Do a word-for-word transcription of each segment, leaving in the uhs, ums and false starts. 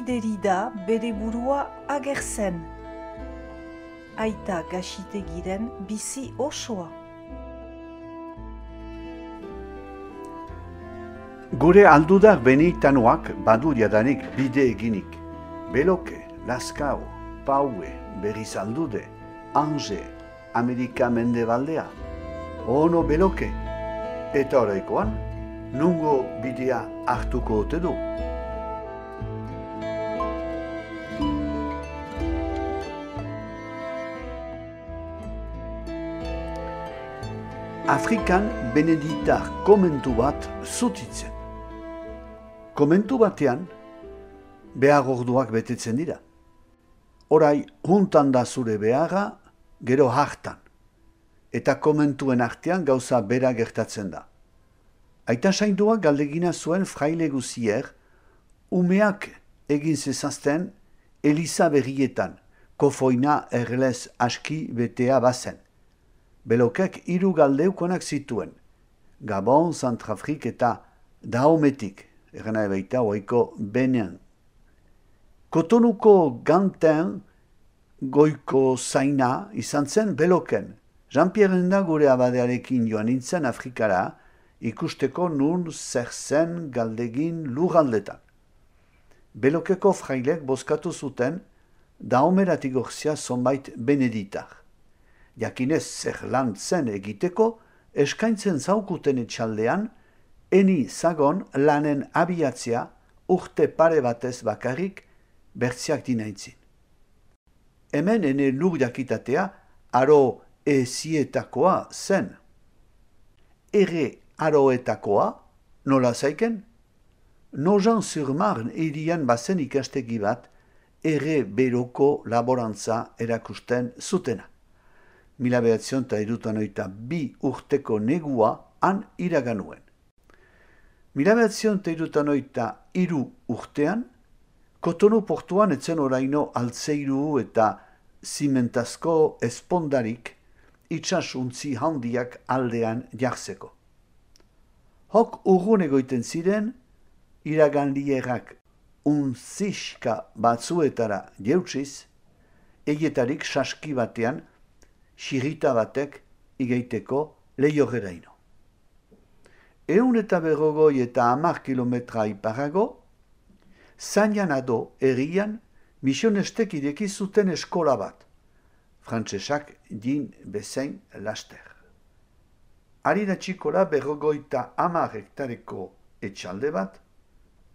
Derrida bere burua agertzen. Aita Gaxitegiren bizi osoa. Gure aldudak benitanoak badu jadanik bide eginik. Beloke, Laskao, Paue, berriz aldude, Ange, Amerika mendebaldea. Ono beloke, eta oraikoan, nungo bidea hartuko ote du. Afrikan beneditar komentu bat zutitzen. Komentu batean, behar orduak betetzen dira. Orai, juntan da zure beharra, gero hartan. Eta komentuen artean gauza bera gertatzen da. Aita sainduak galdegina zuen fraile guzier, umeak egin zezazten Eliza berrietan, kofoina erlez aski betea bazen. Belokek hiru galdeukonak zituen, Gabon, Zantrafrik eta Daometik, erena ebaita oiko Benin. Kotonuko ganten goiko zaina izan zen Beloken. Jean-Pierre da gure abadearekin joan nintzen Afrikara, ikusteko nun zer zen galdegin lurraldetan. Belokeko frailek bozkatu zuten Daomeratik gorzia zonbait beneditar. Jakinez zer lan zen egiteko, eskaintzen zaukuten etxaldean, eni zagon lanen abiatzea urte pare batez bakarrik bertziak dinaintzin. Hemen ene lur jakitatea aro ezietakoa zen. Ere aroetakoa nola zaiken? Nogent-sur-Marne irian bazen ikastegi bat ere beroko laborantza erakusten zutena. Mila behatzion eta irutanoita bi urteko negua han iraganuen. Mila behatzion eta irutanoita iru urtean, Kotonu portuan etzen oraino altzeiru eta zimentazko espondarik itxasuntzi handiak aldean jartzeko. Hok urrun egoiten ziren, iraganlierak unziska batzuetara jeutsiz, eietarik saski batean, xirita batek igeiteko lehiogeraino. Eun eta berrogoi eta hamar kilometra iparago, zainan ado errian misionestek ireki zuten eskola bat, frantsesak din bezain laster. Harira txikola berrogoita hamar hektareko etxalde bat,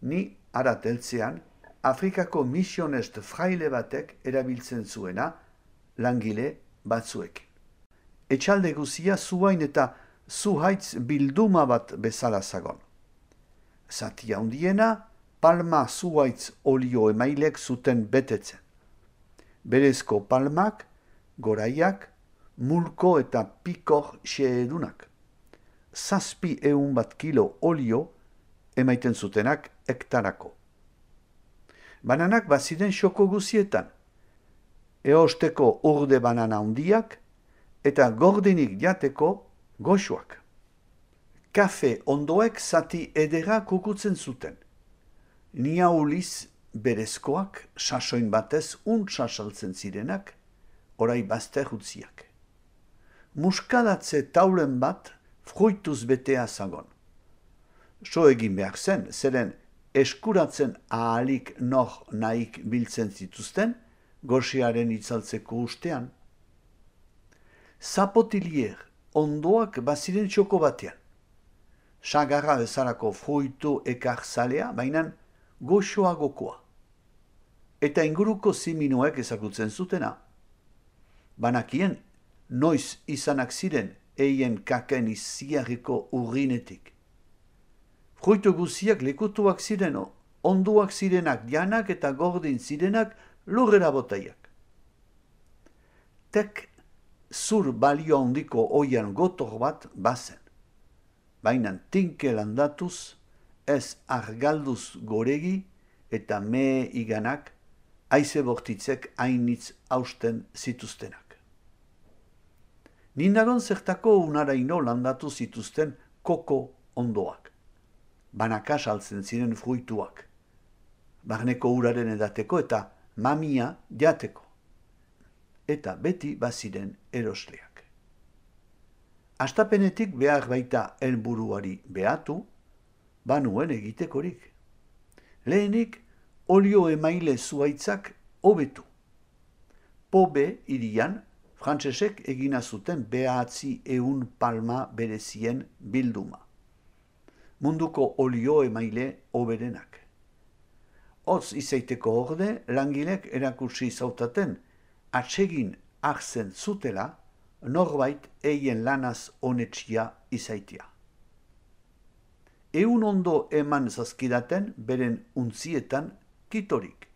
ni arateltzean Afrikako misionest fraile batek erabiltzen zuena langile batzuekin. Etxalde guzia zuain eta zuhaitz bilduma bat bezala zagon. Zatia handiena, palma zuhaitz olio emailek zuten betetzen. Berezko palmak, goraiak, mulko eta pikor xeedunak. Zazpi eun bat kilo olio emaiten zutenak hektarako. Bananak baziren xoko guzietan. Eosteko urde banana handiak eta gordinik jateko goxoak. Kafe ondoek zati edera kukutzen zuten. Niauliz berezkoak, sasoin batez untsa saltzen zirenak, orai bazter utziak. Muskadatze taulen bat fruituz betea zagon. So egin behar zen, zeren eskuratzen ahalik nor nahik biltzen zituzten, goxiaren itzaltzeko ustean. Zapotilier ondoak baziren txoko batean. Sagarra bezalako fruitu ekarzalea, baina goxoagokoa. Eta inguruko ziminuek ezagutzen zutena. Banakien, noiz izanak ziren eien kaken iziarriko urrinetik. Fruitu guziak lekutuak ziren, onduak zirenak janak eta gordin zirenak lurrera botaiak. Tek zur balio handiko oian gotor bat bazen. Baina tinke landatuz, ez argalduz goregi eta mee iganak haize bortitzek hainitz hausten zituztenak. Nindagon zertako unaraino landatu zituzten koko ondoak. Banaka saltzen ziren fruituak. barneko uraren edateko eta mamia jateko. Eta beti baziren erosleak. Astapenetik behar baita helburuari behatu, banuen egitekorik. Lehenik, olio emaile zuaitzak hobetu. Pobe hirian, frantsesek egina zuten behatzi ehun palma berezien bilduma. Munduko olio emaile hoberenak. Hotz izaiteko orde, langilek erakutsi zautaten atsegin hartzen zutela, norbait eien lanaz onetsia izaitia. Eun ondo eman zazkidaten beren untzietan kitorik,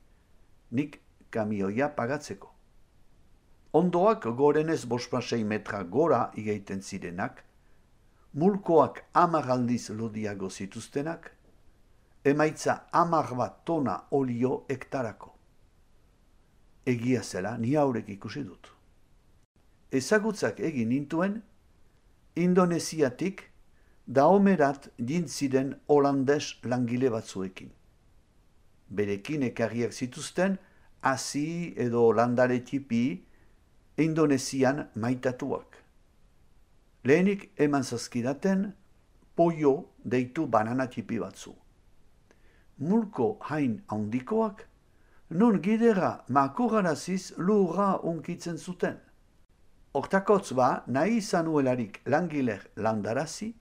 nik kamioia pagatzeko. Ondoak gorenez bospasei metra gora igaiten zirenak, mulkoak amar aldiz lodiago zituztenak, emaitza amar bat tona olio hektarako. Egia zela ni haurek ikusi dut. Ezagutzak egin nintuen, Indonesiatik daomerat jintziren holandes langile batzuekin. Berekin ekarriak zituzten, hasi edo landare tipi, Indonesian maitatuak. Lehenik eman zazkidaten, pollo deitu banana tipi batzu. Mulko hain handikoak, non gidera makuraraziz lurra unkitzen zuten. Hortakotz ba, nahi zanuelarik langiler landarazi,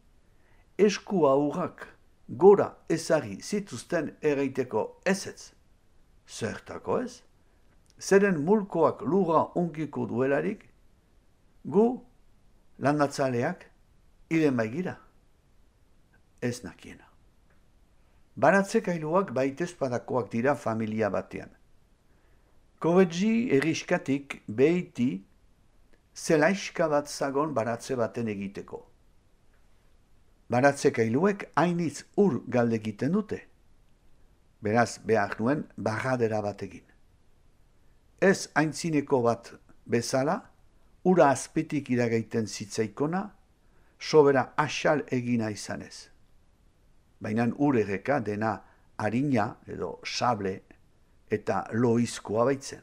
esku aurrak gora ezari zituzten ereiteko ezetz. Zertako ez? Zeren mulkoak lurra unkiko duelarik, gu landatzaleak iren baigira. Ez nakiena. Baratzekailuak baitezpadakoak dira familia batean. Kovedzi eriskatik behiti zelaiska bat zagon baratze baten egiteko. Baratzekailuek hainitz ur galde egiten dute. Beraz behar nuen barradera bat egin. Ez aintzineko bat bezala, ura azpetik iragaiten zitzaikona, sobera asal egina izanez. Baina ur erreka dena harina edo sable eta loizkoa baitzen.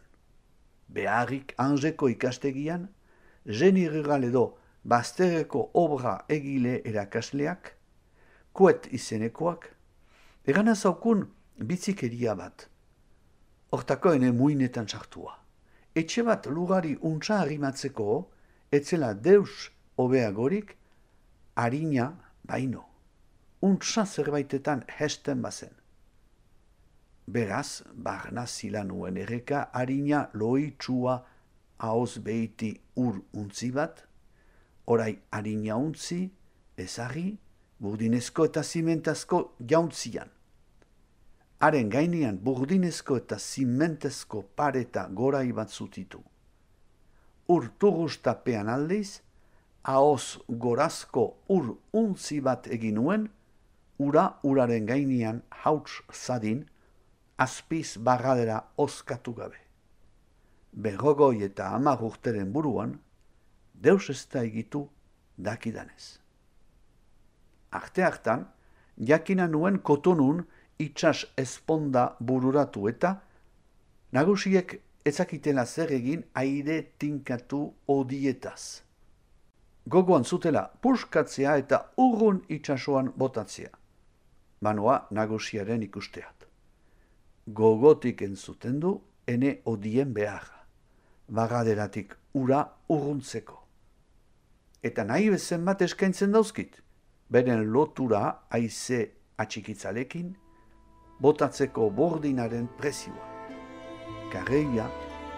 Beharrik Anjeko ikastegian, Jenny Rural edo bazterreko obra egile erakasleak, kuet izenekoak, egana zaukun bitzikeria bat. Hortako ene muinetan sartua. Etxe bat lugari untsa arrimatzeko, etzela deus hobeagorik, harina baino. Untsa zerbaitetan hesten bazen. Beraz, barna zila nuen erreka harina loitsua haoz behiti ur untzi bat, orai harina untzi, ezarri, burdinezko eta zimentazko jauntzian. Haren gainean burdinezko eta zimentezko pareta gorai bat zutitu. Ur turustapean aldiz, haoz gorazko ur untzi bat egin nuen, ura uraren gainean hauts zadin, azpiz barradera oskatu gabe. Berrogoi eta hamar urteren buruan, deus ez da egitu dakidanez. Arte hartan, jakina nuen kotonun itxas ezponda bururatu eta nagusiek ezakitela zer egin aire tinkatu odietaz. Gogoan zutela puskatzea eta urrun itxasoan botatzea. Banoa nagusiaren ikusteat. Gogotik entzuten du ene odien beharra, barraderatik ura urruntzeko. Eta nahi bezen bat eskaintzen dauzkit, beren lotura haize atxikitzalekin, botatzeko bordinaren prezioa. Karreia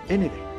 ene gain.